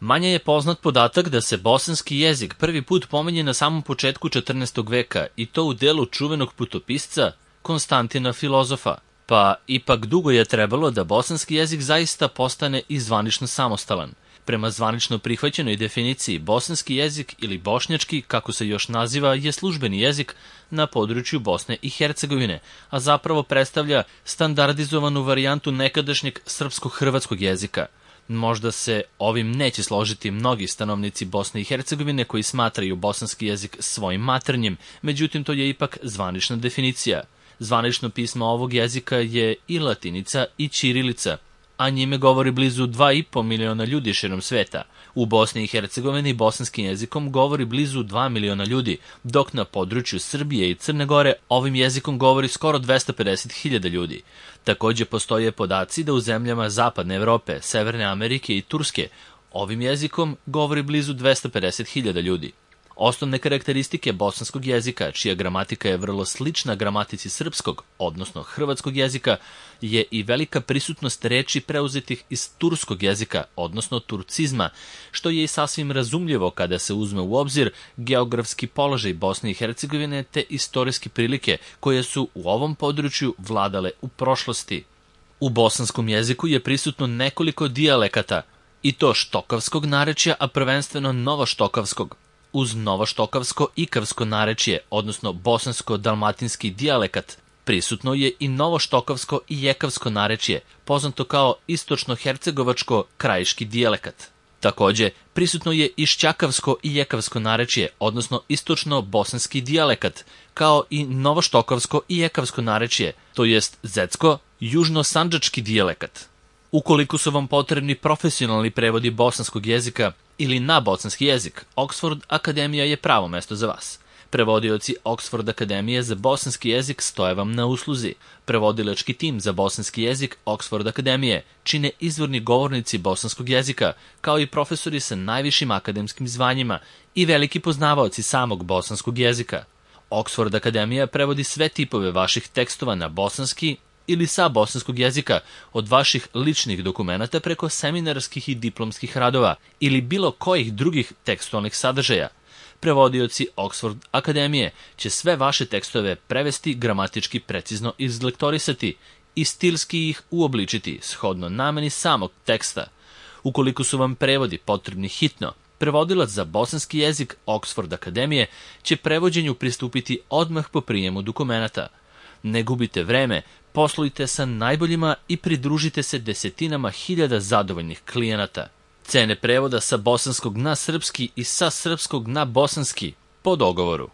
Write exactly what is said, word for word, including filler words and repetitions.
Manje je poznat podatak da se bosanski jezik prvi put pominje na samom početku četrnaestog veka i to u delu čuvenog putopisca Konstantina Filozofa, pa ipak dugo je trebalo da bosanski jezik zaista postane i zvanično samostalan. Prema zvanično prihvaćenoj definiciji, bosanski jezik ili bošnjački, kako se još naziva, je službeni jezik na području Bosne i Hercegovine, a zapravo predstavlja standardizovanu varijantu nekadašnjeg srpsko-hrvatskog jezika. Možda se ovim neće složiti mnogi stanovnici Bosne i Hercegovine koji smatraju bosanski jezik svojim maternjim, međutim to je ipak zvanična definicija. Zvanično pismo ovog jezika je i latinica i ćirilica, a njime govori blizu dva i po miliona ljudi širom sveta. U Bosni i Hercegovini bosanskim jezikom govori blizu dva miliona ljudi, dok na području Srbije i Crne Gore ovim jezikom govori skoro dvesta pedeset hiljada ljudi. Takođe postoje podaci da u zemljama Zapadne Evrope, Severne Amerike i Turske ovim jezikom govori blizu dvesta pedeset hiljada ljudi. Osnovne karakteristike bosanskog jezika, čija gramatika je vrlo slična gramatici srpskog, odnosno hrvatskog jezika, je i velika prisutnost reči preuzetih iz turskog jezika, odnosno turcizma, što je i sasvim razumljivo kada se uzme u obzir geografski položaj Bosne i Hercegovine te istorijske prilike koje su u ovom području vladale u prošlosti. U bosanskom jeziku je prisutno nekoliko dijalekata, i to štokavskog narečja, a prvenstveno novoštokavskog. Uz novoštokavsko-ikavsko narečje, odnosno bosansko-dalmatinski dijalekat, prisutno je i novoštokavsko i jekavsko narečje, poznato kao istočno-hercegovačko-krajiški dijalekat. Takođe, prisutno je i šćakavsko i jekavsko narečje, odnosno istočno-bosanski dijalekat, kao i novoštokavsko i jekavsko narečje, to jest zetsko-južno-sandžački dijalekat. Ukoliko su vam potrebni profesionalni prevodi bosanskog jezika ili na bosanski jezik, Oxford Akademija je pravo mesto za vas. Prevodioci Oxford Akademije za bosanski jezik stoje vam na usluzi. Prevodilački tim za bosanski jezik Oxford Akademije čine izvorni govornici bosanskog jezika, kao i profesori sa najvišim akademskim zvanjima i veliki poznavaoci samog bosanskog jezika. Oxford Akademija prevodi sve tipove vaših tekstova na bosanski ili sa bosanskog jezika, od vaših ličnih dokumenata preko seminarskih i diplomskih radova ili bilo kojih drugih tekstualnih sadržaja. Prevodioci Oxford Akademije će sve vaše tekstove prevesti, gramatički precizno izlektorisati i stilski ih uobličiti shodno nameni samog teksta. Ukoliko su vam prevodi potrebni hitno, prevodilac za bosanski jezik Oxford Akademije će prevođenju pristupiti odmah po prijemu dokumenata. Ne gubite vreme, poslujte sa najboljima i pridružite se desetinama hiljada zadovoljnih klijenata. Cene prevoda sa bosanskog na srpski i sa srpskog na bosanski po dogovoru.